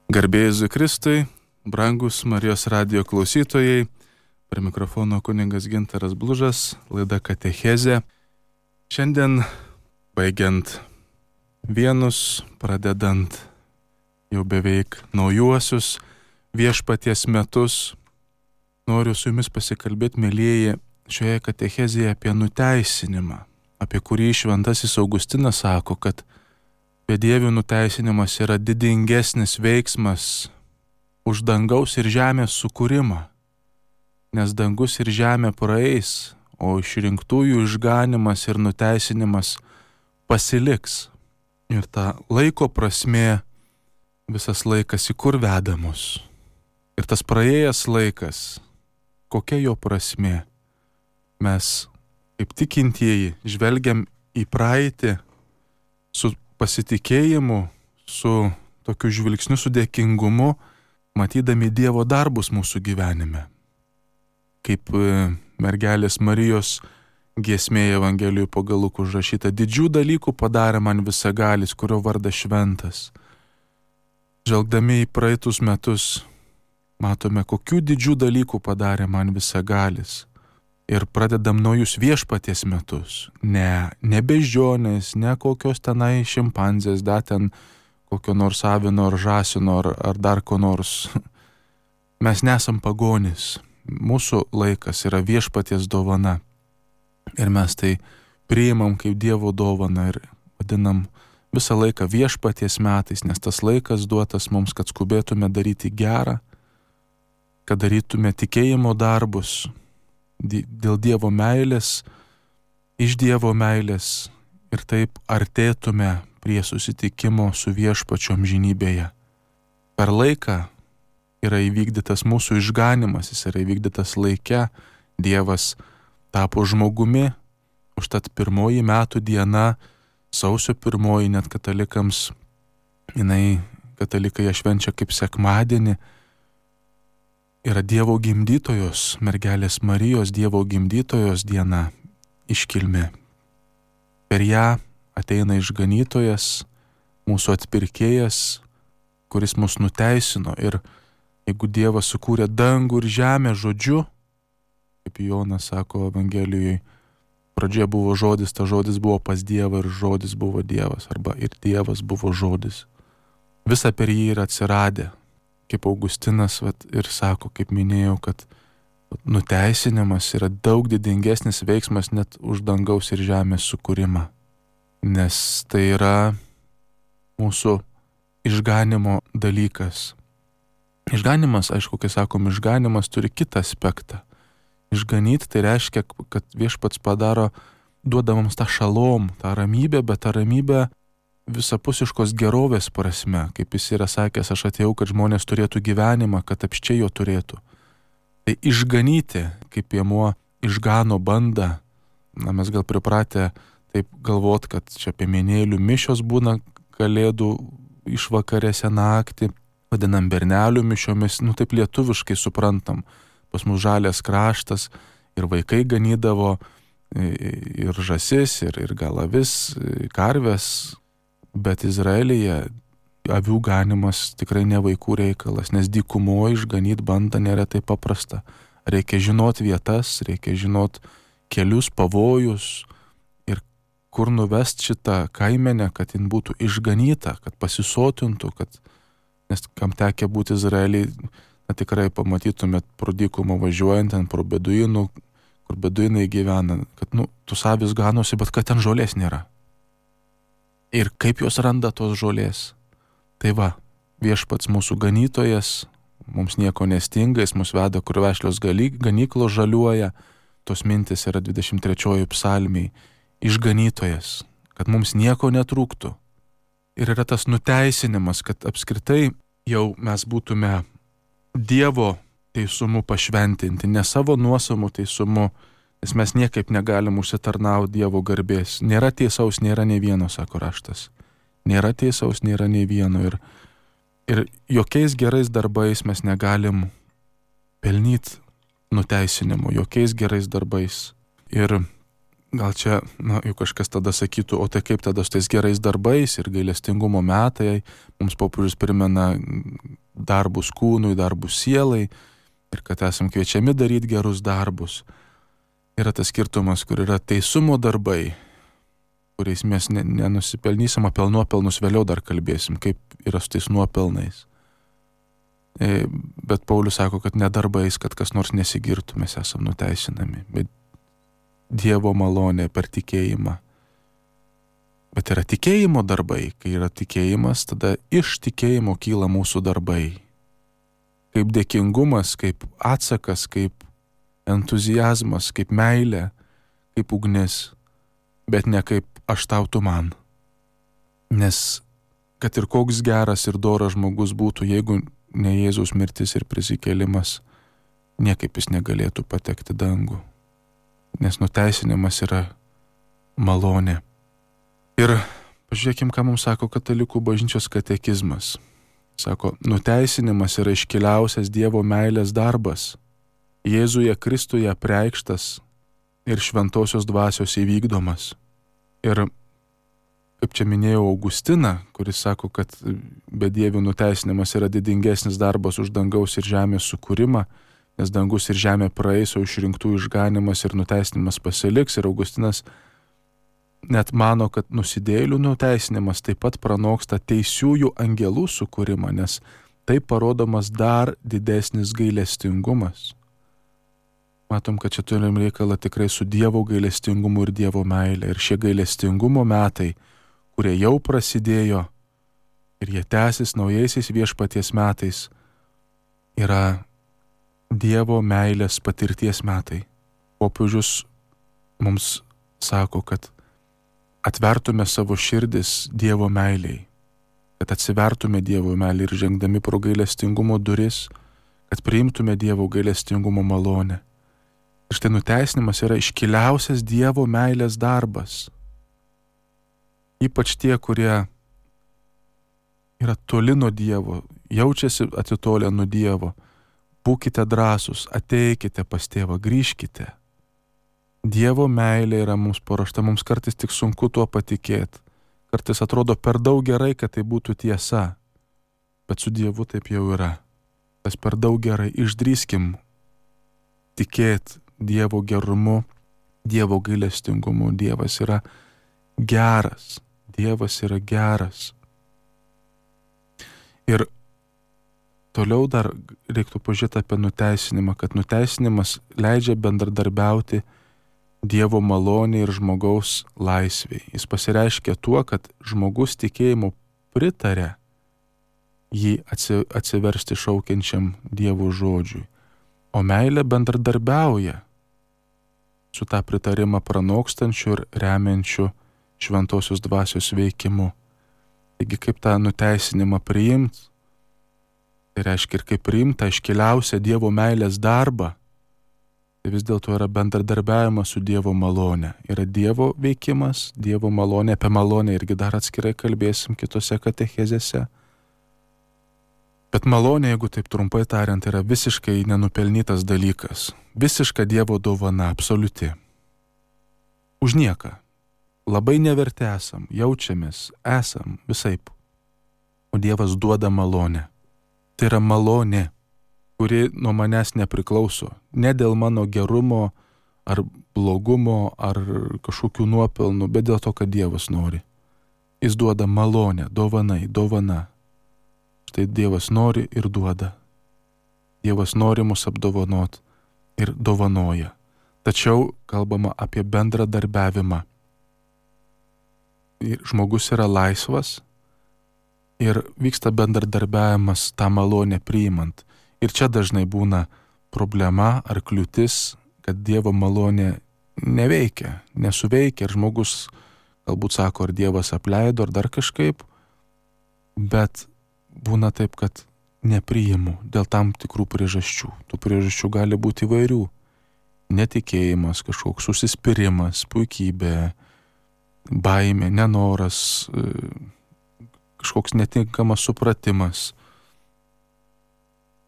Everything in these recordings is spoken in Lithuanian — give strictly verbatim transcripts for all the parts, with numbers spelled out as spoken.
Garbė Jėzui Kristui, brangus Marijos radijo klausytojai, prie mikrofono kunigas Gintaras Blužas, laida Katechezė. Šiandien, baigiant vienus, pradedant jau beveik naujuosius viešpaties metus, noriu su jumis pasikalbėti, mielieji, šioje katechezėje apie nuteisinimą, apie kurį šventasis Augustinas sako, kad bedievių nuteisinimas yra didingesnis veiksmas už dangaus ir žemės sukūrimą, nes dangus ir žemė praeis, o išrinktųjų išganimas ir nuteisinimas pasiliks. Ir ta laiko prasmė, visas laikas į kur veda mus. Ir tas praėjęs laikas, kokia jo prasmė? Mes, kaip tikintieji, žvelgiam į praeitį su pasitikėjimu, su tokiu žvilgsniu, su dėkingumu, matydami Dievo darbus mūsų gyvenime. Kaip mergelės Marijos giesmėje Evangelijų pagal Luką užrašyta, didžių dalykų padarė man visagalis, kurio vardas šventas. Žvelgdami į praeitus metus, matome, kokių didžių dalykų padarė man visagalis. Ir pradedam naujus viešpaties metus. Ne, ne beždžionės, ne kokios tenai šimpanzės, da ten kokio nors avino ar žąsino ar, ar dar ko nors. Mes nesam pagonys. Mūsų laikas yra viešpaties dovana. Ir mes tai priimam kaip Dievo dovaną ir vadinam visą laiką viešpaties metais, nes tas laikas duotas mums, kad skubėtume daryti gerą, kad darytume tikėjimo darbus, dėl Dievo meilės, iš Dievo meilės ir taip artėtume prie susitikimo su viešpačiu amžinybėje. Per laiką yra įvykdytas mūsų išganimas, jis yra įvykdytas laike, Dievas tapo žmogumi, užtat pirmoji metų diena, sausio pirmoji, net katalikams, jinai, katalikai ją švenčia kaip sekmadienį, yra Dievo gimdytojos, mergelės Marijos Dievo gimdytojos diena, iškilmė. Per ją ateina išganytojas, mūsų atpirkėjas, kuris mus nuteisino. Ir jeigu Dievas sukūrė dangų ir žemę žodžiu, kaip Jonas sako Evangelijoje, pradžioje buvo žodis, ta žodis buvo pas Dievą ir žodis buvo Dievas, arba ir Dievas buvo žodis. Visa per jį yra atsiradę. Kaip Augustinas vat, ir sako, kaip minėjau, kad nuteisinimas yra daug didingesnis veiksmas net už dangaus ir žemės sukūrimą. Nes tai yra mūsų išganimo dalykas. Išganimas, aišku, kai sakom, išganimas turi kitą aspektą. Išganyti tai reiškia, kad viešpats padaro, duoda mums tą šalom, tą ramybę, bet tą ramybę visapusiškos gerovės prasme, kaip jis yra sakęs, aš atėjau, kad žmonės turėtų gyvenimą, kad apščiai jo turėtų. Tai išganyti, kaip piemuo išgano bandą, na mes gal pripratę taip galvot, kad čia piemenėlių mišios būna kalėdų išvakarėse naktį, vadinam bernelių mišiomis, nu taip lietuviškai suprantam, pas mus žalias kraštas ir vaikai ganydavo ir žąsis, ir, ir gal avis, karves. Bet Izraelyje avių ganimas tikrai ne vaikų reikalas, nes dykumoje išganyti bandą nėra taip paprasta. Reikia žinot vietas, reikia žinot kelius, pavojus ir kur nuvest šitą kaimenę, kad jin būtų išganyta, kad pasisotintų, kad, nes kam tekia būti Izraelyje, na tikrai pamatytumėt pro dykumą važiuojant ten pro beduinų, kur beduinai gyvena, kad nu, tus avis ganosi, bet kad ten žolės nėra. Ir kaip jos randa tos žolės. Tai va, viešpats mūsų ganytojas, mums nieko nestinga, jis mus veda, kur vešlios ganyklos žaliuoja, tos mintis yra dvidešimt trečioji psalmiai, išganytojas, kad mums nieko netrūktų. Ir yra tas nuteisinimas, kad apskritai jau mes būtume Dievo teisumu pašventinti, ne savo nuosavų teisumu, nes mes niekaip negalim užsitarnauti Dievo garbės. Nėra tiesaus, nėra nei vieno, sako raštas. Nėra tiesaus, nėra nei vieno. Ir, ir jokiais gerais darbais mes negalim pelnyti nuteisinimu, jokiais gerais darbais. Ir gal čia, na, jau kažkas tada sakytų, o tai kaip tada su tais gerais darbais ir gailestingumo metai, mums popiežius primena darbus kūnui, darbus sielai ir kad esam kviečiami daryti gerus darbus. Yra tas skirtumas, kur yra teisumo darbai, kuriais mes nenusipelnysim, apie nuopelnus vėliau dar kalbėsim, kaip yra su tais nuopelnais. Bet Paulius sako, kad ne darbais, kad kas nors nesigirtų, mes esam nuteisinami, bet Dievo malonė per tikėjimą. Bet yra tikėjimo darbai, kai yra tikėjimas, tada iš tikėjimo kyla mūsų darbai. Kaip dėkingumas, kaip atsakas, kaip entuzijazmas, kaip meilė, kaip ugnis, bet ne kaip aš tau tu man. Nes kad ir koks geras ir doras žmogus būtų, jeigu ne Jėzaus mirtis ir prisikėlimas, niekaip jis negalėtų patekti dangų. Nes nuteisinimas yra malonė. Ir pažiūrėkim, ką mums sako Katalikų bažnyčios katekizmas. Sako, nuteisinimas yra iškiliausias Dievo meilės darbas, Jėzuje Kristuje apreikštas ir šventosios dvasios įvykdomas. Ir kaip čia minėjau Augustiną, kuris sako, kad bedievių nuteisinimas yra didingesnis darbas už dangaus ir žemės sukūrimą, nes dangus ir žemė praeis, o išrinktų išganimas ir nuteisinimas pasiliks. Ir Augustinas net mano, kad nusidėjėlių nuteisinimas taip pat pranoksta teisiųjų angelų sukūrimą, nes taip parodomas dar didesnis gailestingumas. Matom, kad čia turim reikalą tikrai su Dievo gailestingumu ir Dievo meilė. Ir šie gailestingumo metai, kurie jau prasidėjo ir jie tęsis naujaisiais viešpaties metais, yra Dievo meilės patirties metai. Popiežius mums sako, kad atvertume savo širdis Dievo meiliai, kad atsivertume Dievo meilį ir žengdami pro gailestingumo duris, kad priimtume Dievo gailestingumo malonę. Ir štai nuteisinimas yra iškiliausias Dievo meilės darbas. Ypač tie, kurie yra toli nuo Dievo, jaučiasi atitolę nuo Dievo, būkite drąsūs, ateikite pas tėvą, grįžkite. Dievo meilė yra mums paruošta, mums kartais tik sunku tuo patikėti. Kartais atrodo per daug gerai, kad tai būtų tiesa, bet su Dievu taip jau yra. Tas per daug gerai, išdrįskim tikėti Dievo gerumu, Dievo gailestingumu. Dievas yra geras, Dievas yra geras. Ir toliau dar reiktų pažiūrėti apie nuteisinimą, kad nuteisinimas leidžia bendradarbiauti Dievo malonė ir žmogaus laisvė. Jis pasireiškia tuo, kad žmogus tikėjimu pritarė jį atsiversti šaukiančiam Dievo žodžiui, o meilė bendradarbiauja su tą pritarimą pranokstančiu ir remiančiu šventosios dvasios veikimu. Taigi kaip tą nuteisinimą priimti, tai reiškia ir kaip priimta iškiliausia Dievo meilės darbą, tai vis dėlto yra bendradarbiavimas su Dievo malonė. Yra Dievo veikimas, Dievo malonė, apie malonę irgi dar atskirai kalbėsim kitose katechezėse. Bet malonė, jeigu taip trumpai tariant, yra visiškai nenupelnytas dalykas. Visiška Dievo dovana, absoliuti. Už nieką. Labai neverti esam, jaučiamės, esam visaip. O Dievas duoda malonę. Tai yra malonė, kuri nuo manęs nepriklauso. Ne dėl mano gerumo, ar blogumo, ar kažkokių nuopelnų, bet dėl to, kad Dievas nori. Jis duoda malonę, dovanai, dovana. Štai Dievas nori ir duoda. Dievas nori mus apdovanot ir dovanoja. Tačiau kalbama apie bendradarbiavimą. Ir žmogus yra laisvas ir vyksta bendradarbiavimas tą malonę priimant. Ir čia dažnai būna problema ar kliūtis, kad Dievo malonė neveikia, nesuveikia. Ir žmogus galbūt sako, ar Dievas apleido, ar dar kažkaip, bet būna taip, kad nepriimu dėl tam tikrų priežasčių. Tų priežasčių gali būti įvairių. Netikėjimas, kažkoks užsispyrimas, puikybė, baimė, nenoras, kažkoks netinkamas supratimas,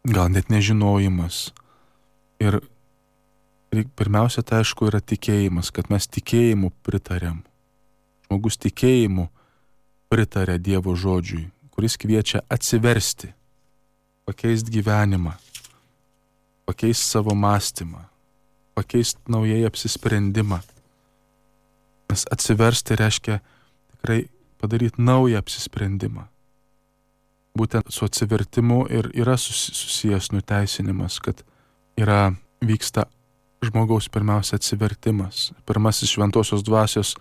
gal net nežinojimas. Ir pirmiausia, tai aišku, yra tikėjimas, kad mes tikėjimu pritarėm. Žmogus tikėjimu pritarė Dievo žodžiui, kuris kviečia atsiversti. pakeisti gyvenimą, pakeisti savo mąstymą, pakeisti naujai apsisprendimą. Nes atsiversti reiškia tikrai padaryti naują apsisprendimą. Būtent su atsivertimu ir yra susijęs nuteisinimas, kad yra vyksta žmogaus pirmiausia atsivertimas. Pirmasis šventosios dvasios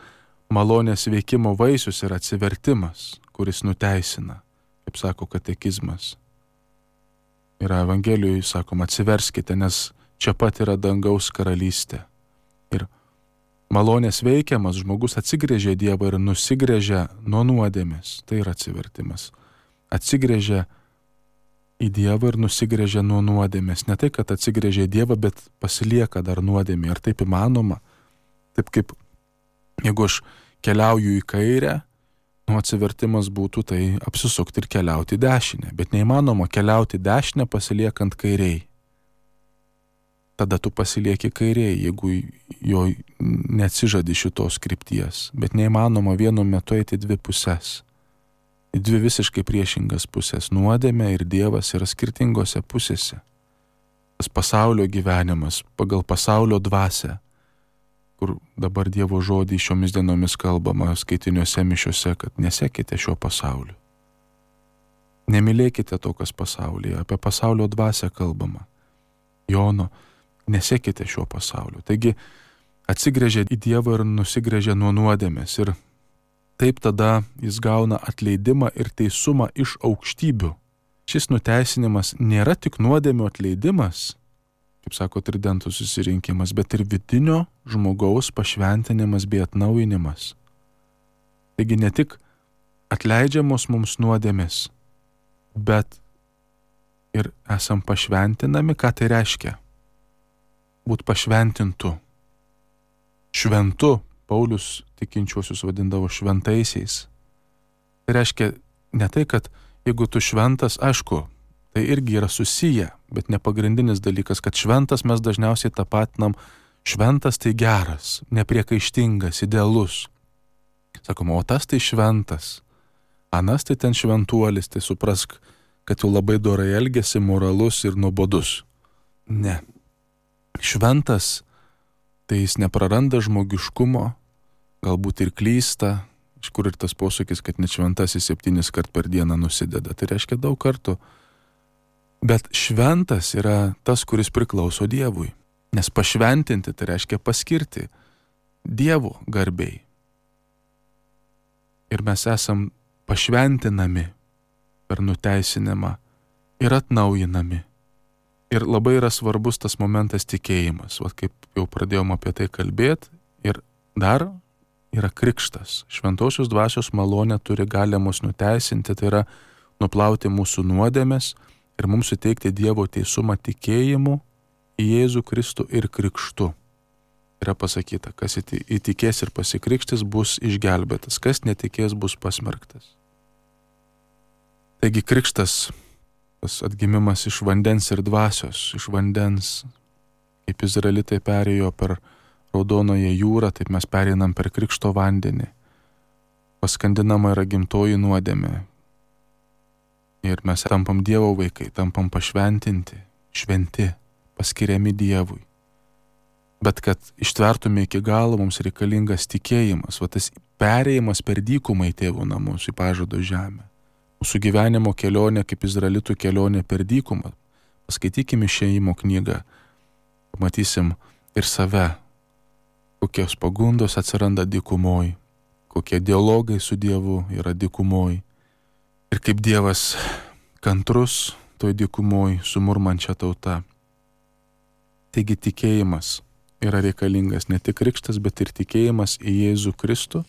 malonės veikimo vaisius yra atsivertimas, kuris nuteisina, kaip sako katekizmas. Yra Evangelijoje sakoma, atsiverskite, nes čia pat yra dangaus karalystė. Ir malonės veikiamas žmogus atsigrėžia Dievą ir nusigrėžia nuo nuodėmės. Tai yra atsivertimas. Atsigrėžia į Dievą ir nusigrėžia nuo nuodėmės. Ne tai, kad atsigrėžia į Dievą, bet pasilieka dar nuodėmė. Ar taip įmanoma? Taip kaip, jeigu aš keliauju į kairę, nu atsivertimas būtų tai apsisukti ir keliauti į dešinę. Bet neįmanoma keliauti dešinę pasiliekant kairiai. Tada tu pasilieki kairiai, jeigu jo neatsižadi šitos krypties. Bet neįmanoma vienu metu eiti dvi pusės. Į dvi visiškai priešingas pusės. Nuodėmė ir Dievas yra skirtingose pusėse. Tas pasaulio gyvenimas pagal pasaulio dvasią, kur dabar Dievo žodį šiomis dienomis kalbama skaitiniuose mišiuose, kad nesekite šio pasauliu. Nemylėkite to, kas pasaulyje. Apie pasaulio dvasią kalbama. Jono, nesekite šio pasauliu. Taigi atsigrėžia į Dievą ir nusigrėžia nuo nuodėmės. Ir taip tada jis gauna atleidimą ir teisumą iš aukštybių. Šis nuteisinimas nėra tik nuodėmių atleidimas, kaip sako tridentų susirinkimas, bet ir vidinio žmogaus pašventinimas bei atnaujinimas. Taigi ne tik atleidžiamos mums nuodėmės, bet ir esam pašventinami. Ką tai reiškia? Būt pašventintu. Šventu. Paulius tikinčiuosius vadindavo šventaisiais. Tai reiškia ne tai, kad jeigu tu šventas, aišku, tai irgi yra susiję, bet ne pagrindinis dalykas, kad šventas mes dažniausiai tapatinam, šventas tai geras, nepriekaištingas, idealus. Sakoma, o tas tai šventas, anas tai ten šventuolis, tai suprask, kad jau labai dorai elgiasi, moralus ir nuobodus. Ne. Šventas tai jis nepraranda žmogiškumo, galbūt ir klysta, iš kur ir tas posakis, kad net šventasis septynis kart per dieną nusideda. Tai reiškia daug kartų. Bet šventas yra tas, kuris priklauso Dievui. Nes pašventinti tai reiškia paskirti Dievo garbei. Ir mes esam pašventinami per nuteisinimą ir atnaujinami. Ir labai yra svarbus tas momentas tikėjimas. Vat kaip jau pradėjom apie tai kalbėti. Ir dar yra krikštas. Šventosios dvasios malonė turi galią mus nuteisinti, tai yra nuplauti mūsų nuodėmes ir mums suteikti Dievo teisumą tikėjimu į Jėzų Kristų ir krikštu. Yra pasakyta, kas įtikės ir pasikrikštis bus išgelbėtas, kas netikės bus pasmerktas. Taigi krikštas, tas atgimimas iš vandens ir dvasios, iš vandens, kaip izraelitai perėjo per Raudonoje jūrą, taip mes pereinam per krikšto vandenį. Paskandinama yra gimtoji nuodėmė. Ir mes tampam Dievo vaikai, tampam pašventinti, šventi, paskiriami Dievui. Bet kad ištvertume iki galo, mums reikalingas tikėjimas, va tas perėjimas per dykumą į Tėvo namus, į pažado žemę. Mūsų gyvenimo kelionė, kaip izraelitų kelionė per dykumą. Paskaitykime Išėjimo knygą, pamatysim ir save, kokios pagundos atsiranda dykumoj, kokie dialogai su Dievu yra dykumoj. Ir kaip Dievas kantrus toj dykumoj su murmančia tauta. Taigi tikėjimas yra reikalingas, ne tik krikštas, bet ir tikėjimas į Jėzų Kristų.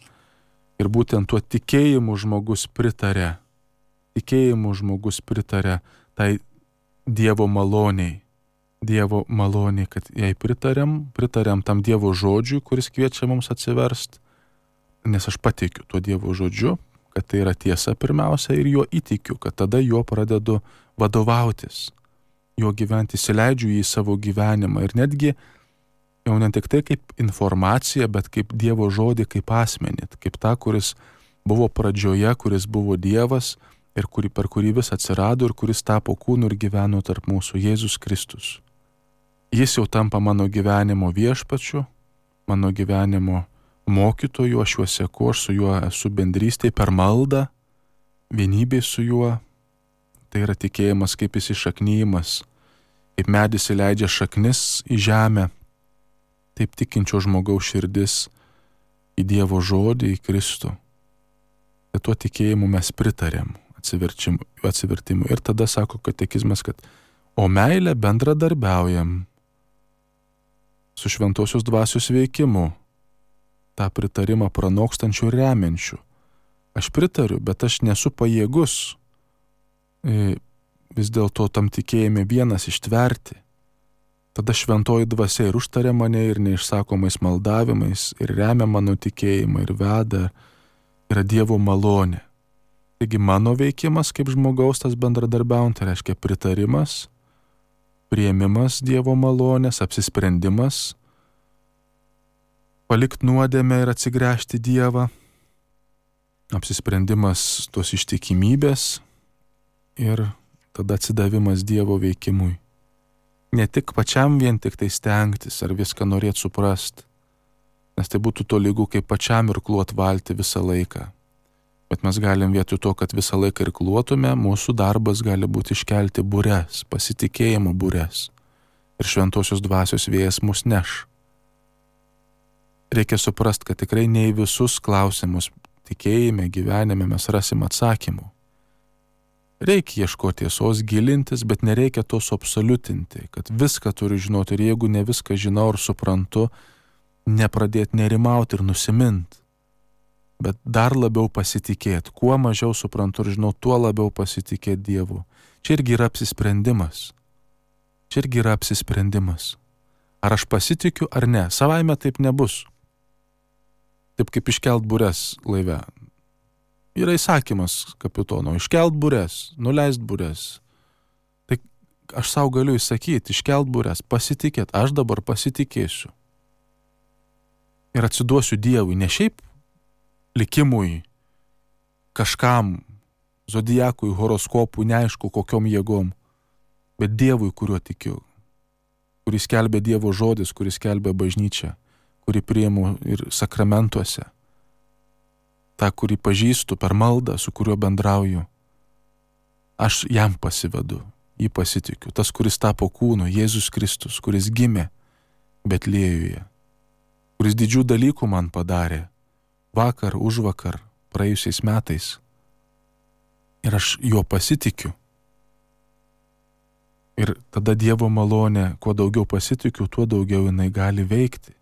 Ir būtent tuo tikėjimu žmogus pritarė. Tikėjimu žmogus pritarė tai Dievo maloniai. Dievo maloniai, kad jai pritarėm, pritarėm tam Dievo žodžiui, kuris kviečia mums atsiverst. Nes aš patikiu tuo Dievo žodžiu, kad tai yra tiesa pirmiausia ir juo įtikiu, kad tada juo pradedu vadovautis. Juo gyventi, įsileidžiu jį į savo gyvenimą ir netgi jau ne tik tai kaip informacija, bet kaip Dievo žodį, kaip asmenį, kaip tą, kuris buvo pradžioje, kuris buvo Dievas ir kurį, per kurį vis atsirado ir kuris tapo kūnu ir gyveno tarp mūsų, Jėzus Kristus. Jis jau tampa mano gyvenimo viešpačiu, mano gyvenimo mokytoju, aš juo seku, aš su juo esu bendrystėje per maldą, vienybėj su juo. Tai yra tikėjimas kaip įsišaknyjimas, kaip medis įleidžia šaknis į žemę, taip tikinčio žmogaus širdis į Dievo žodį, į Kristų. Tai tuo tikėjimu mes pritarėm atsivertimui. Ir tada sako katekizmas, kad o meilę bendradarbiaujam su šventosios dvasios veikimu, tą pritarimą pranokstančių ir remiančių. Aš pritariu, bet aš nesu pajėgus vis dėlto tam tikėjime vienas ištverti. Tada šventoji dvasia ir užtaria mane ir neišsakomais maldavimais, ir remia mano tikėjimą, ir veda, yra Dievo malonė. Taigi mano veikimas kaip žmogaus tas bendradarbiaujant, tai reiškia pritarimas, priėmimas Dievo malonės, apsisprendimas, palikti nuodėmę ir atsigręžti Dievą, apsisprendimas tos ištikimybės ir tada atsidavimas Dievo veikimui. Ne tik pačiam vien tik tai stengtis ar viską norėti suprast, nes tai būtų tolygu kaip pačiam irkluot valtį visą laiką. Bet mes galim vietoj to, kad visą laiką irkluotume, mūsų darbas gali būti iškelti bures, pasitikėjimo bures. Ir šventosios dvasios vėjas mus neš. Reikia suprast, kad tikrai ne į visus klausimus tikėjime, gyvenime mes rasim atsakymų. Reikia ieškoti tiesos, gilintis, bet nereikia to suabsoliutinti, kad viską turiu žinoti ir jeigu ne viską žinau ir suprantu, nepradėti nerimauti ir nusimint, bet dar labiau pasitikėti. Kuo mažiau suprantu ir žinau, tuo labiau pasitikėti Dievu. Čia irgi yra apsisprendimas. Čia irgi yra apsisprendimas. Ar aš pasitikiu ar ne? Savaime taip nebus. Taip kaip iškelt bures laive. Yra įsakymas kapitono, iškelt bures, nuleist bures. Tai aš savo galiu įsakyti, iškelt bures, pasitikėti, aš dabar pasitikėsiu. Ir atsiduosiu Dievui, ne šiaip likimui, kažkam, zodiakui, horoskopui, neaišku kokiom jėgom, bet Dievui, kuriuo tikiu, kuris skelbia Dievo žodis, kuris skelbia bažnyčią, kurį priimu ir sakramentuose. tą, kurį pažįstu per maldą, su kuriuo bendrauju. Aš jam pasivedu, jį pasitikiu. Tas, kuris tapo kūnu, Jėzus Kristus, kuris gimė Betliejuje, kuris didžių dalykų man padarė vakar, užvakar, praėjusiais metais. Ir aš juo pasitikiu. Ir tada Dievo malonė, kuo daugiau pasitikiu, tuo daugiau jinai gali veikti.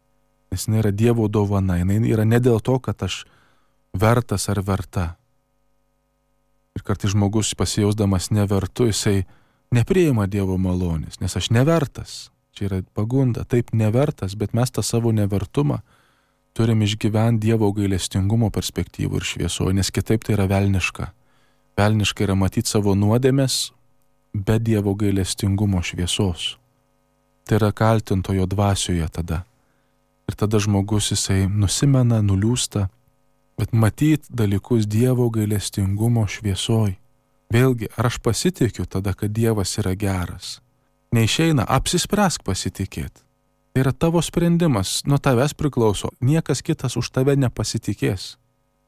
Nes jinai yra Dievo dovana, jinai yra ne dėl to, kad aš vertas ar verta. Ir kartais žmogus pasijausdamas nevertu, jisai nepriima Dievo malonės, nes aš nevertas. Čia yra pagunda, taip nevertas, bet mes tą savo nevertumą turim išgyventi Dievo gailestingumo perspektyvų ir šviesoje, nes kitaip tai yra velniška. Velniška yra matyti savo nuodėmes be Dievo gailestingumo šviesos. Tai yra kaltintojo dvasioje tada. Ir tada žmogus jisai nusimena, nuliūsta, bet matyti dalykus Dievo gailestingumo šviesoj. Vėlgi, ar aš pasitikiu tada, kad Dievas yra geras? Neišeina, apsispręsk pasitikėti. Tai yra tavo sprendimas, nuo tavęs priklauso. Niekas kitas už tave nepasitikės.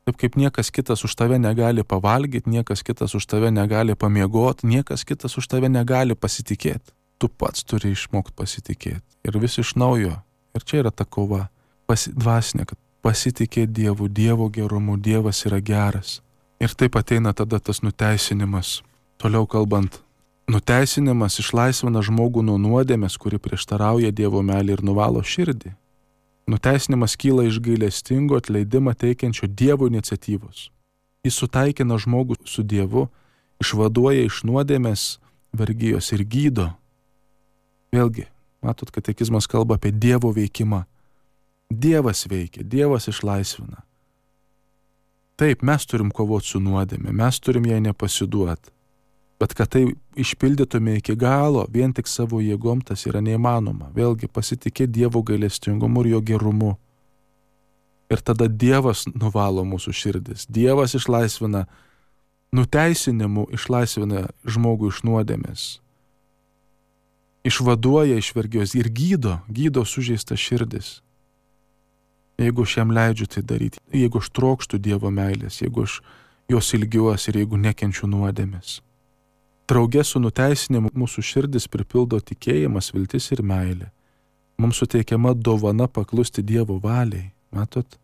Taip kaip niekas kitas už tave negali pavalgyti, niekas kitas už tave negali pamiegoti, niekas kitas už tave negali pasitikėti. Tu pats turi išmokti pasitikėti. Ir vis iš naujo. Ir čia yra ta kova. Pasi, dvasinė, kad pasitikėti Dievu, Dievo gerumu, Dievas yra geras. Ir taip ateina tada tas nuteisinimas. Toliau kalbant, nuteisinimas išlaisvina žmogų nuo nuodėmės, kuri prieštarauja Dievo meilei ir nuvalo širdį. Nuteisinimas kyla iš gailestingo atleidimą teikiančio Dievo iniciatyvos. Jis sutaikina žmogų su Dievu, išvaduoja iš nuodėmės vergijos ir gydo. Vėlgi, matot, katekizmas kalba apie Dievo veikimą. Dievas veikia, Dievas išlaisvina. Taip, mes turim kovoti su nuodėme, mes turim jai nepasiduoti. Bet kad tai išpildytume iki galo, vien tik savo jėgom tas yra neįmanoma. Vėlgi pasitikėti Dievo gailestingumu ir jo gerumu. Ir tada Dievas nuvalo mūsų širdis. Dievas išlaisvina nuteisinimu išlaisvina žmogų iš nuodėmės, išvaduoja iš vergijos ir gydo, gydo sužeistas širdis. Jeigu aš jam leidžiu tai daryti, jeigu aš trokštų Dievo meilės, jeigu aš jos ilgiuosi ir jeigu nekenčiu nuodėmės. Drauge su nuteisinimu mūsų širdis pripildo tikėjimas, viltis ir meilė. Mums suteikiama dovana paklusti Dievo valiai. Matot?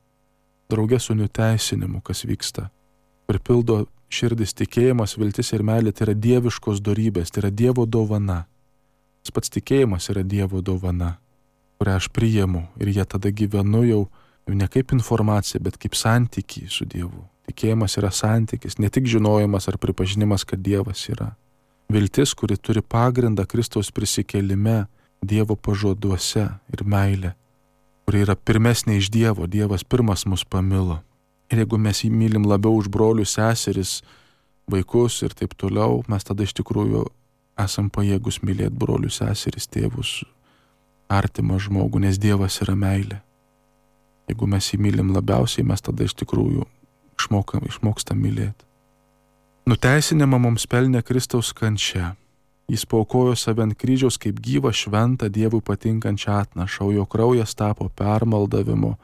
Drauge su nuteisinimu, kas vyksta. Pripildo širdis tikėjimas, viltis ir meilė, tai yra dieviškos dorybės, tai yra Dievo dovana. Tas pats tikėjimas yra Dievo dovana, kurią aš priimu ir jie tada gyvenu jau ne kaip informacija, bet kaip santykį su Dievu. Tikėjimas yra santykis, ne tik žinojimas ar pripažinimas, kad Dievas yra. Viltis, kuri turi pagrindą Kristaus prisikėlime, Dievo pažaduose ir meilė, kuri yra pirmesnė iš Dievo, Dievas pirmas mus pamilo. Ir jeigu mes jį mylim labiau už brolius, seseris, vaikus ir taip toliau, mes tada iš tikrųjų esam pajėgus mylėti brolius, seseris, tėvus, artimą žmogų, nes Dievas yra meilė. Jeigu mes jį mylim labiausiai, mes tada iš tikrųjų išmokam, išmokstam mylėti. Nuteisinimą mums pelnė Kristaus kančia. Jis paaukojo save ant kryžiaus kaip gyvą, šventą, Dievui patinkančią atnašą, o jo kraujas tapo permaldavimu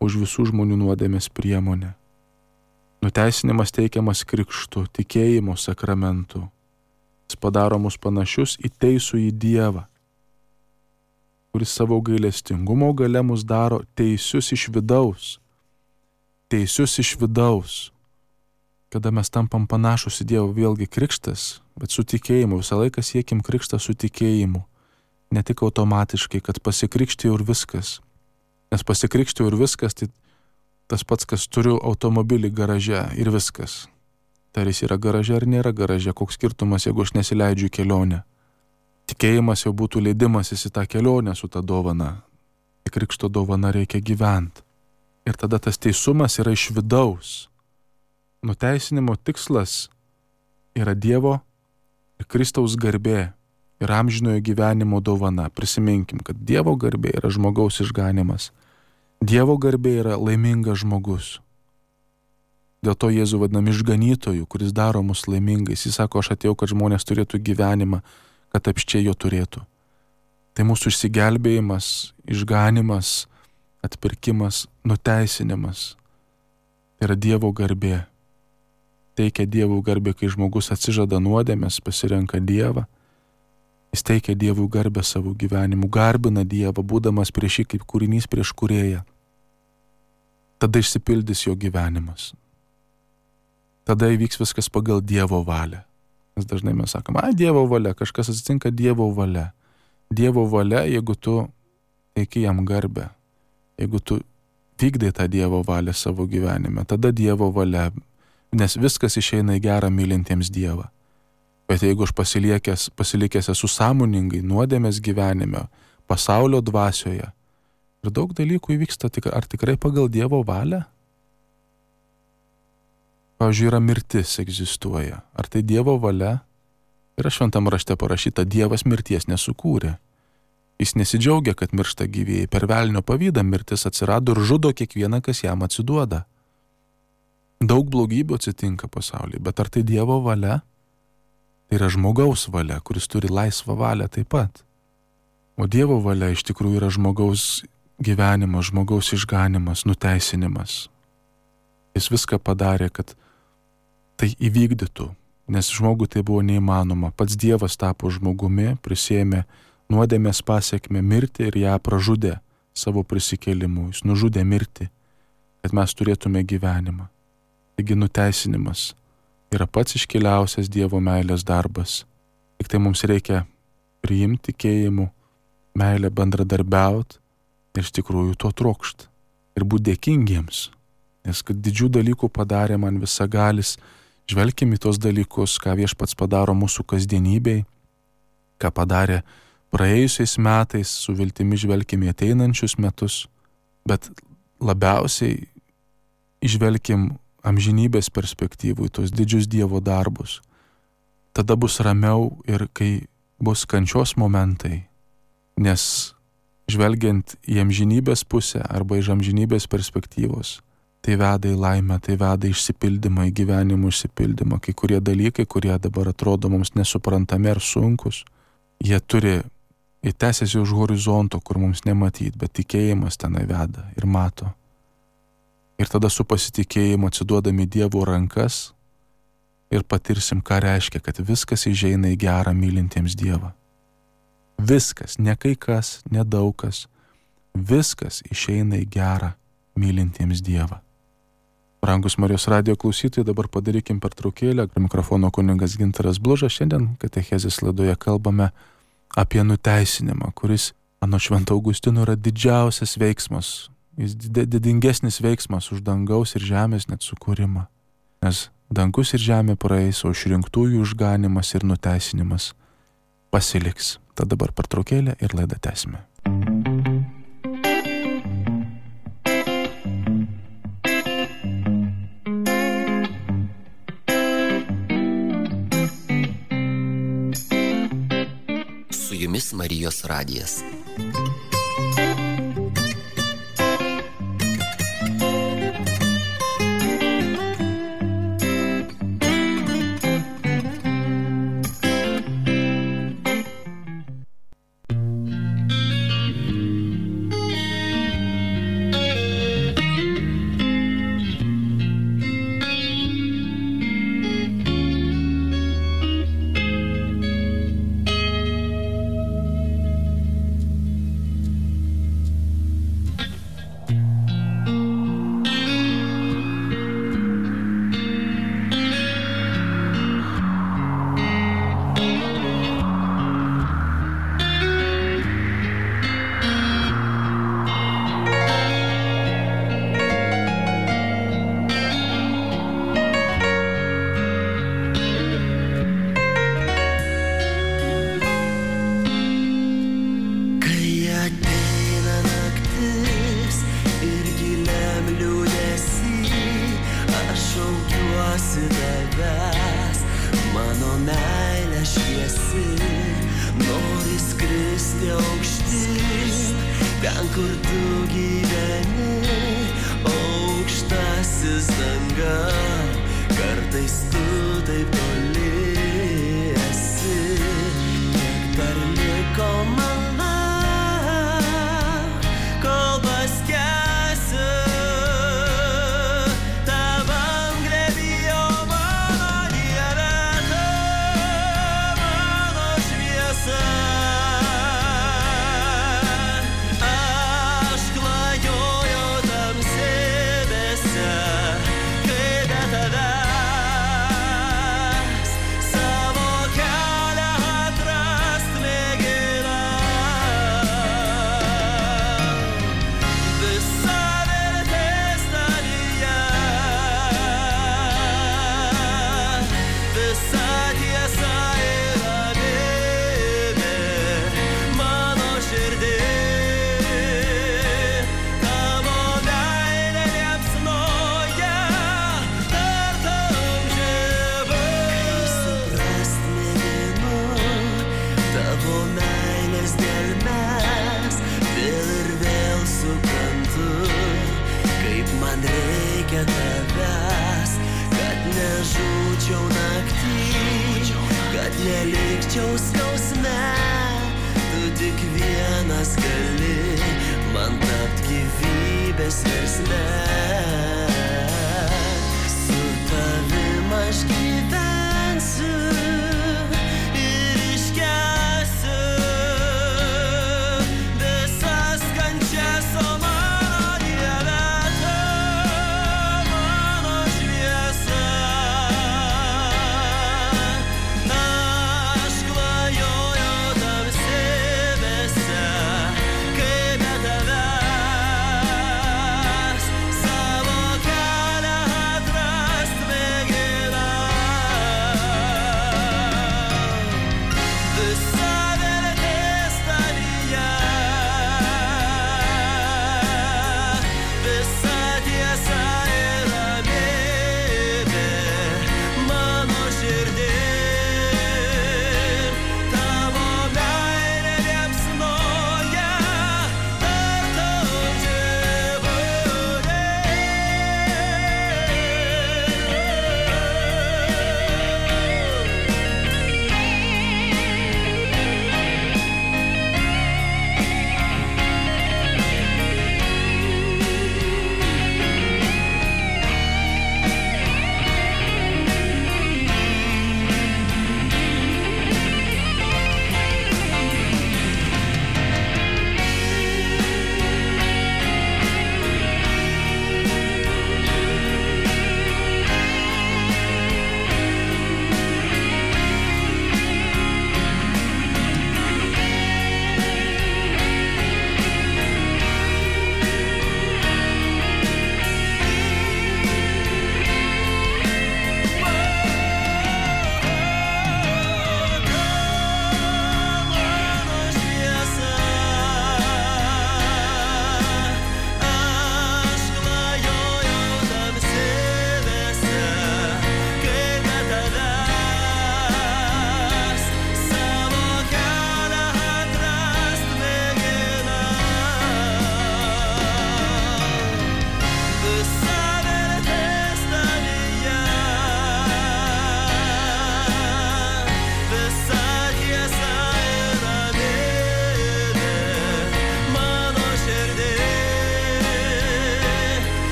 už visų žmonių nuodėmės priemonę. Nuteisinimas teikiamas krikštu, tikėjimo sakramentu. Jis padaro mus panašius į teisų į Dievą, kuris savo gailestingumo gale mus daro teisius iš vidaus. Teisius iš vidaus. Kada mes tampam panašus į Dievą, vėlgi krikštas, bet su tikėjimu. Visą laiką siekim krikštą su tikėjimu. Ne tik automatiškai, kad pasikrikštėjau ir viskas. Nes pasikrikštėjau ir viskas, tai tas pats, kas turiu automobilį garaže ir viskas. Tai ar jis yra garaže ar nėra garaže, koks skirtumas, jeigu aš nesileidžiu į kelionę. Tikėjimas jau būtų leidimasis į tą kelionę su tą dovana. Į krikšto dovana reikia gyventi. Ir tada tas teisumas yra iš vidaus. Nuteisinimo tikslas yra Dievo ir Kristaus garbė ir amžinojo gyvenimo dovana. Prisiminkim, kad Dievo garbė yra žmogaus išganimas. Dievo garbė yra laimingas žmogus. Dėl to Jėzų vadinam išganytoju, kuris daro mus laimingais. Jis sako, aš atėjau, kad žmonės turėtų gyvenimą, kad apščiai jo turėtų. Tai mūsų išsigelbėjimas, išganimas, atpirkimas, nuteisinimas. Tai yra Dievo garbė. Teikia Dievų garbę, kai žmogus atsižada nuodėmės, pasirenka Dievą. Jis teikia Dievų garbę savo gyvenimu, garbina Dievą, būdamas prieš jį kaip kūrinys prieš kūrėją. Tada išsipildys jo gyvenimas. Tada įvyks viskas pagal Dievo valią. Nes dažnai mes sakom, ai, Dievo valia, kažkas atsitinka Dievo valia. Dievo valia, jeigu tu teiki jam garbę, jeigu tu vykdai tą Dievo valią savo gyvenime, tada Dievo valia, nes viskas išeina į gerą mylintiems Dievą. Bet jeigu aš pasilikęs, pasilikęs esu sąmoningai nuodėmės gyvenime, pasaulio dvasioje, ir daug dalykų įvyksta, ar tikrai pagal Dievo valią? Pavyzdžiui, yra mirtis egzistuoja. Ar tai Dievo valia? Yra šventam rašte parašyta, Dievas mirties nesukūrė. Jis nesidžiaugia, kad miršta gyvieji. Per velnio pavydą mirtis atsirado ir žudo kiekvieną, kas jam atsiduoda. Daug blogybių atsitinka pasaulyje, bet ar tai Dievo valia? Tai yra žmogaus valia, kuris turi laisvą valią taip pat. O Dievo valia iš tikrųjų yra žmogaus gyvenimas, žmogaus išganimas, nuteisinimas. Jis viską padarė, kad tai įvykdytų, nes žmogui tai buvo neįmanoma. Pats Dievas tapo žmogumi, prisėmė nuodėmės pasiekmę mirtį ir ją pražudė savo prisikėlimu. Jis nužudė mirtį, kad mes turėtume gyvenimą. Taigi nuteisinimas yra pats iškiliausias Dievo meilės darbas. Tik tai mums reikia priimti tikėjimu, meilę bendradarbiauti ir iš tikrųjų to trokšti. Ir būti dėkingiems, nes kad didžių dalykų padarė man visagalis. Žvelkim į tos dalykus, ką Viešpats padaro mūsų kasdienybei, ką padarė praėjusiais metais, su viltimi žvelkim į ateinančius metus, bet labiausiai žvelkim amžinybės perspektyvų į tos didžius Dievo darbus. Tada bus ramiau ir kai bus kančios momentai, nes žvelgiant į amžinybės pusę arba iš amžinybės perspektyvos, tai tai veda į laimę, tai veda į išsipildymą, į gyvenimo išsipildymą. Kai kurie dalykai, kurie dabar atrodo mums nesuprantami ar sunkus, jie turi įtęsiasi už horizonto, kur mums nematyti, bet tikėjimas tenai veda ir mato. Ir tada su pasitikėjimu atsiduodami Dievo rankas ir patirsim, ką reiškia, kad viskas įžeina į gerą mylintiems Dievą. Viskas, ne kai kas, ne daug kas, viskas išeina į gerą mylintiems Dievą. Brangus Marijos radijo klausytojai, dabar padarykim pertraukėlę. Prie mikrofono kunigas Gintaras Blužas. Šiandien katechezės laidoje kalbame apie nuteisinimą, kuris, anot Švento Augustino, yra didžiausias veiksmas. Jis didingesnis veiksmas už dangaus ir žemės net sukūrimą. Nes dangus ir žemė praeis, o išrinktųjų išganimas ir nuteisinimas pasiliks. Tad dabar pertraukėlė ir laidą tęsime. Su jumis Marijos radijas. Aš klajoju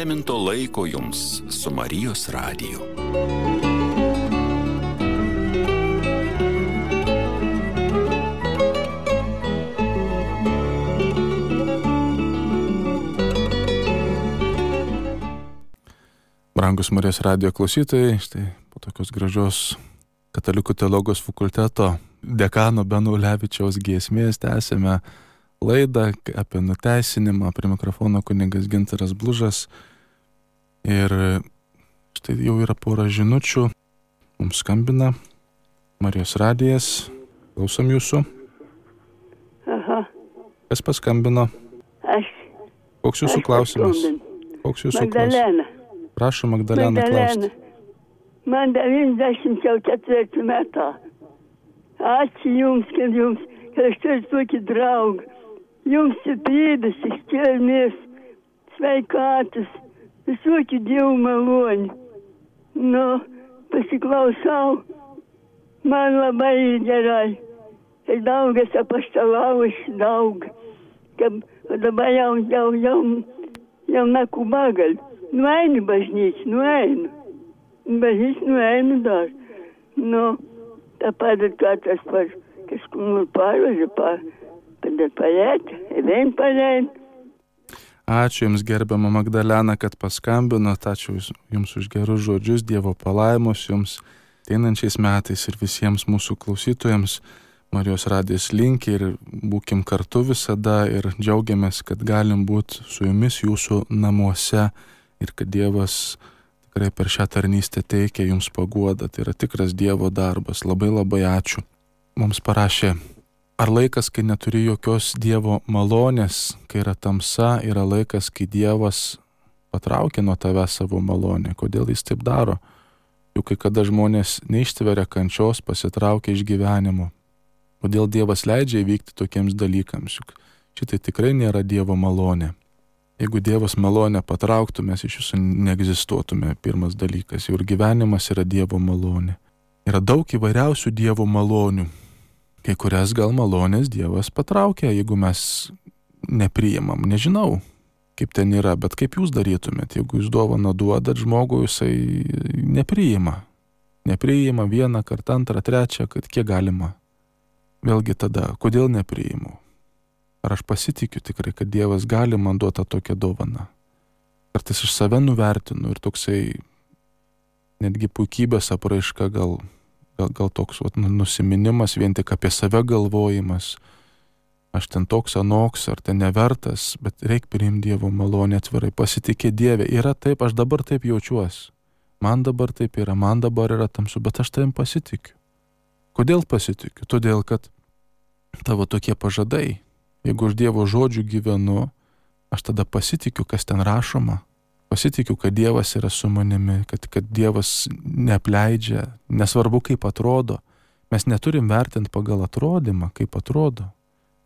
palaiminto laiko jums su Marijos radiju. Brangus Marijos radijo klausytojai, štai po tokios gražios Katalikų teologijos fakulteto dekano Beno Ulevičiaus giesmės tęsėme laidą apie nuteisinimą. Prie mikrofono kunigas Gintaras Blužas. Ir štai jau yra pora žinučių. Mums skambina Marijos radijas. Klausom jūsų. Aha. Kas paskambino? Aš. Koks jūsų aš klausimas? paskambinu. Koks jūsų Magdalena. klausimas? Prašau, Magdalena, klausti. Man devyniasdešimt ketvirti metai. Ačiū jums, kad jums, kad aš turiu tokį draugą. Jums stiprybės, ištvermės, sveikatos, visokių dievų malonių. Nu, pasiklausau, man labai gerai. Ir daugas apaštalaujas, daug. Kad dabar jau, jau, jau, jau nakubagal. Nueinu bažnyčią, nueinu. Bažnyčią nueinu dar. Nu, tā padara kā tas par, kas kur pārvaža, par, padara palēt, vien palēt. Ačiū Jums, gerbiama Magdalena, kad paskambinot. Ačiū Jums už gerus žodžius, Dievo palaimus Jums ateinančiais metais ir visiems mūsų klausytojams. Marijos radijas linki ir būkim kartu visada ir džiaugiamės, kad galim būti su Jumis Jūsų namuose ir kad Dievas tikrai per šią tarnystę teikia Jums paguodą. Tai yra tikras Dievo darbas. Labai labai ačiū. Mums parašė, ar laikas, kai neturi jokios Dievo malonės, kai yra tamsa, yra laikas, kai Dievas patraukia nuo tave savo malonę. Kodėl Jis taip daro? Juk kai kada žmonės neištveria kančios, pasitraukia iš gyvenimo. Kodėl Dievas leidžia įvykti tokiems dalykams? Juk šitai tikrai nėra Dievo malonė. Jeigu Dievas malonę patrauktų, mes iš jūsų neegzistuotume, pirmas dalykas. Jau ir gyvenimas yra Dievo malonė. Yra daug įvairiausių Dievo malonių. Kai kurias gal malonės Dievas patraukia, jeigu mes nepriimam. Nežinau, kaip ten yra, bet kaip jūs darytumėt, jeigu jūs dovaną duodat žmogui, jisai nepriima. Nepriima vieną kartą, antrą, trečią, kad kiek galima. Vėlgi tada, kodėl nepriimu? Ar aš pasitikiu tikrai, kad Dievas gali man duoti tokią dovaną? Kartais iš save nuvertinu ir toksai netgi puikybės apraiška, gal, gal, gal toks vat, nusiminimas, vien tik apie save galvojimas. Aš ten toks anoks, ar ten nevertas, bet reik priimti Dievo malonę atvirai, pasitikė Dieve. Yra taip, aš dabar taip jaučiuosi. Man dabar taip yra, man dabar yra tamsu, bet aš tavim pasitikiu. Kodėl pasitikiu? Todėl, kad tavo tokie pažadai. Jeigu aš Dievo žodžių gyvenu, aš tada pasitikiu, kas ten rašoma. Pasitikiu, kad Dievas yra su manimi, kad, kad Dievas neapleidžia, nesvarbu kaip atrodo. Mes neturim vertinti pagal atrodymą, kaip atrodo,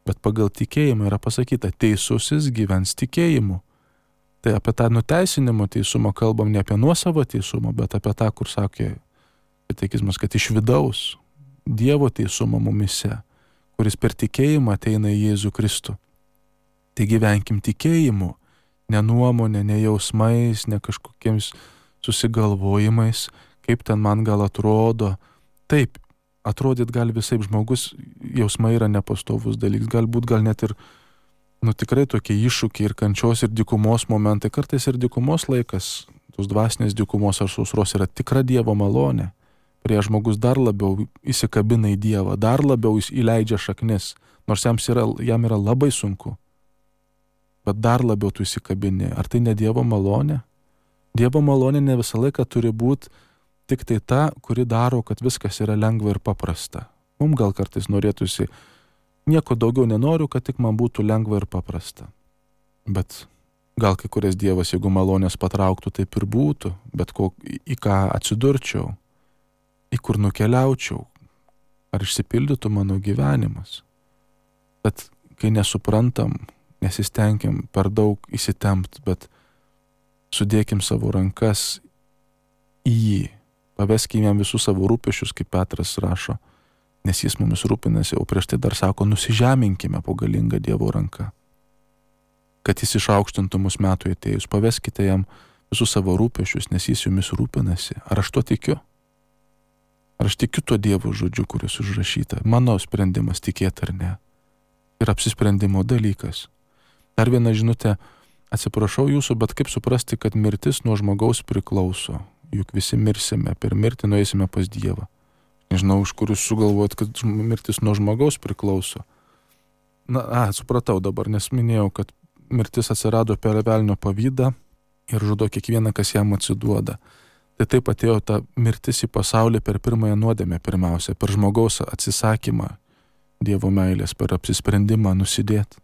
bet pagal tikėjimą yra pasakyta, teisusis gyvens tikėjimu. Tai apie tą nuteisinimo teisumą kalbam ne apie nuosavą teisumą, bet apie tą, kur sakė katekizmas, kad iš vidaus Dievo teisumą mumise, kuris per tikėjimą ateina į Jėzų Kristų. Tai gyvenkim tikėjimu, ne nuomonė, ne jausmais, ne kažkokiems susigalvojimais, kaip ten man gal atrodo. Taip, atrodyt gali visaip, žmogus, jausmai yra nepastovus dalykas, galbūt gal net ir, nu tikrai tokie iššūkiai ir kančios ir dykumos momentai, kartais ir dykumos laikas, tos dvasinės dykumos ar sausros yra tikra Dievo malonė. Prie žmogus dar labiau įsikabina į Dievą, dar labiau jis įleidžia šaknis, nors jam yra, jam yra labai sunku. Bet dar labiau tu įsikabini. Ar tai ne Dievo malonė? Dievo malonė ne visą laiką turi būti tik tai ta, kuri daro, kad viskas yra lengva ir paprasta. Mums gal kartais norėtųsi, nieko daugiau nenoriu, kad tik man būtų lengva ir paprasta. Bet gal kai kurias Dievas, jeigu malonės patrauktų, taip ir būtų, bet ko, į ką atsidurčiau, į kur nukeliaučiau, ar išsipildytų mano gyvenimas. Bet kai nesuprantam, nesistengiam per daug įsitempt, bet sudėkim savo rankas į jį, paveskim jam visus savo rūpesčius, kaip Petras rašo, nes jis mumis rūpinasi, o prieš tai dar sako, nusižeminkime po galingą Dievo ranką. kad jis išaukštintų mus metų atėjus. Paveskite jam visus savo rūpesčius, nes jis jumis rūpinasi. Ar aš to tikiu? Ar aš tikiu tuo Dievo žodžiu, kuris užrašyta? Mano sprendimas tikėti ar ne. Ir apsisprendimo dalykas. Dar viena žinutė, atsiprašau jūsų, bet kaip suprasti, kad mirtis nuo žmogaus priklauso? Juk visi mirsime, per mirtį nueisime pas Dievą. Nežinau, iš kur jūs sugalvojat, kad mirtis nuo žmogaus priklauso. Na, a, supratau dabar, nes minėjau, kad mirtis atsirado per velnio pavydą ir žudo kiekvieną, kas jam atsiduoda. Tai taip atėjo ta mirtis į pasaulį per pirmąją nuodėmę pirmiausia, per žmogaus atsisakymą Dievo meilės, per apsisprendimą nusidėti.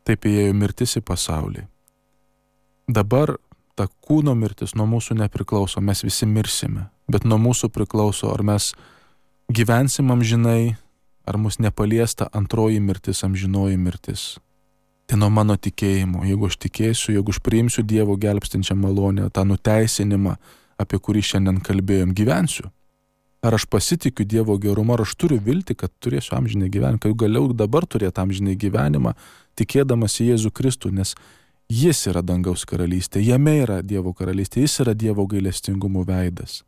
Taip įėjo mirtis į pasaulį. Dabar ta kūno mirtis nuo mūsų nepriklauso, mes visi mirsime, bet nuo mūsų priklauso, ar mes gyvensim amžinai, ar mus nepaliesta antroji mirtis, amžinoji mirtis. Tai nuo mano tikėjimo, jeigu aš tikėsiu, jeigu aš priimsiu Dievo gelbstinčią malonę, tą nuteisinimą, apie kurį šiandien kalbėjom, gyvensiu. Ar aš pasitikiu Dievo gerumu, ar aš turiu viltį, kad turėsiu amžinai gyvenimą, kad galiu dabar turėti amžinai gyvenimą, tikėdamas į Jėzų Kristų, nes Jis yra dangaus karalystė, jame yra Dievo karalystė, Jis yra Dievo gailestingumo veidas.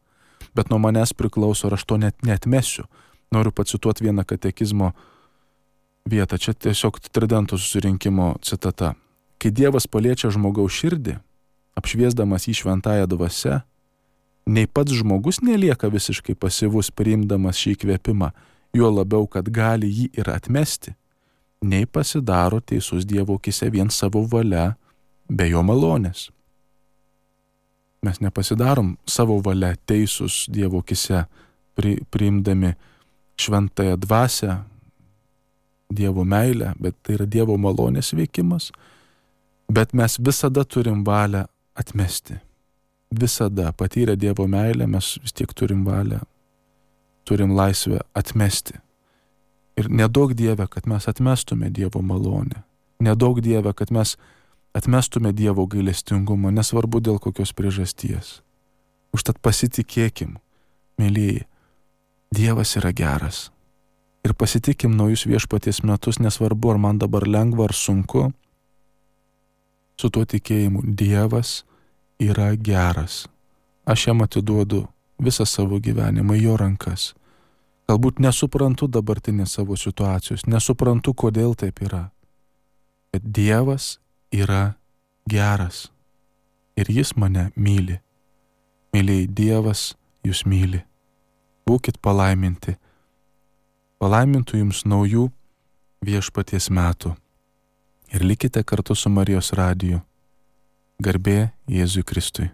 Bet nuo manęs priklauso, ar aš to net neatmesiu. Noriu pacituoti vieną katekizmo vietą, čia tiesiog Tridento susirinkimo citata. Kai Dievas paliečia žmogaus širdį, apšviesdamas jį šventąją dvasią, nei pats žmogus nelieka visiškai pasyvus priimdamas šį įkvėpimą, juo labiau, kad gali jį ir atmesti, nei pasidaro teisus Dievo akyse vien savo valia, be jo malonės. Mes nepasidarom savo valia teisus Dievo akyse, pri, priimdami šventąją dvasią, Dievo meilę, bet tai yra Dievo malonės veikimas, bet mes visada turim valią atmesti. Visada patyrę Dievo meilę mes vis tiek turim valią, turim laisvę atmesti. Ir nedaug Dieve, kad mes atmestume Dievo malonę. Nedaug Dieve, kad mes atmestume Dievo gailestingumą, nesvarbu dėl kokios priežasties. Užtat pasitikėkim, mėlyji, Dievas yra geras. Ir pasitikim naujus viešpaties metus, nesvarbu, ar man dabar lengva ar sunku, su tuo tikėjimu Dievas yra geras. Aš jam atiduodu visą savo gyvenimą į jo rankas. Galbūt nesuprantu dabartinės savo situacijos, nesuprantu, kodėl taip yra. Bet Dievas yra geras. Ir jis mane myli. Myliai, Dievas jūs myli. Būkit palaiminti. Palaimintų jums naujų viešpaties metų. Ir likite kartu su Marijos radiju. Garbė Jėzui Kristui.